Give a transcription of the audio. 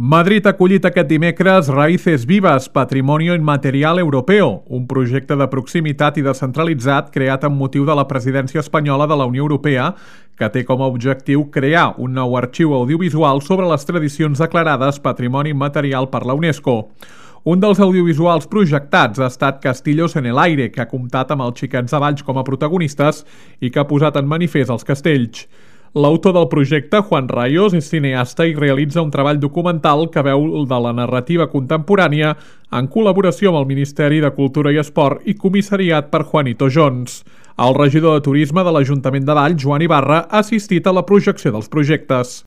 Madrid ha acollit aquest dimecres Raíces Vivas, Patrimonio Inmaterial Europeo, un projecte de proximitat i descentralitzat creat amb motiu de la presidència espanyola de la Unió Europea, que té com a objectiu crear un nou arxiu audiovisual sobre les tradicions declarades Patrimoni Immaterial per la UNESCO. Un dels audiovisuals projectats ha estat Castillos en el Aire, que ha comptat amb els Xiquets de Valls com a protagonistes i que ha posat en manifest els castells. L'autor del projecte, Juan Rayos, és cineasta i realitza un treball documental que veu de la narrativa contemporània en col·laboració amb el Ministeri de Cultura i Esport i comissariat per Juanito Jones. El regidor de Turisme de l'Ajuntament de Valls, Joan Ibarra, ha assistit a la projecció dels projectes.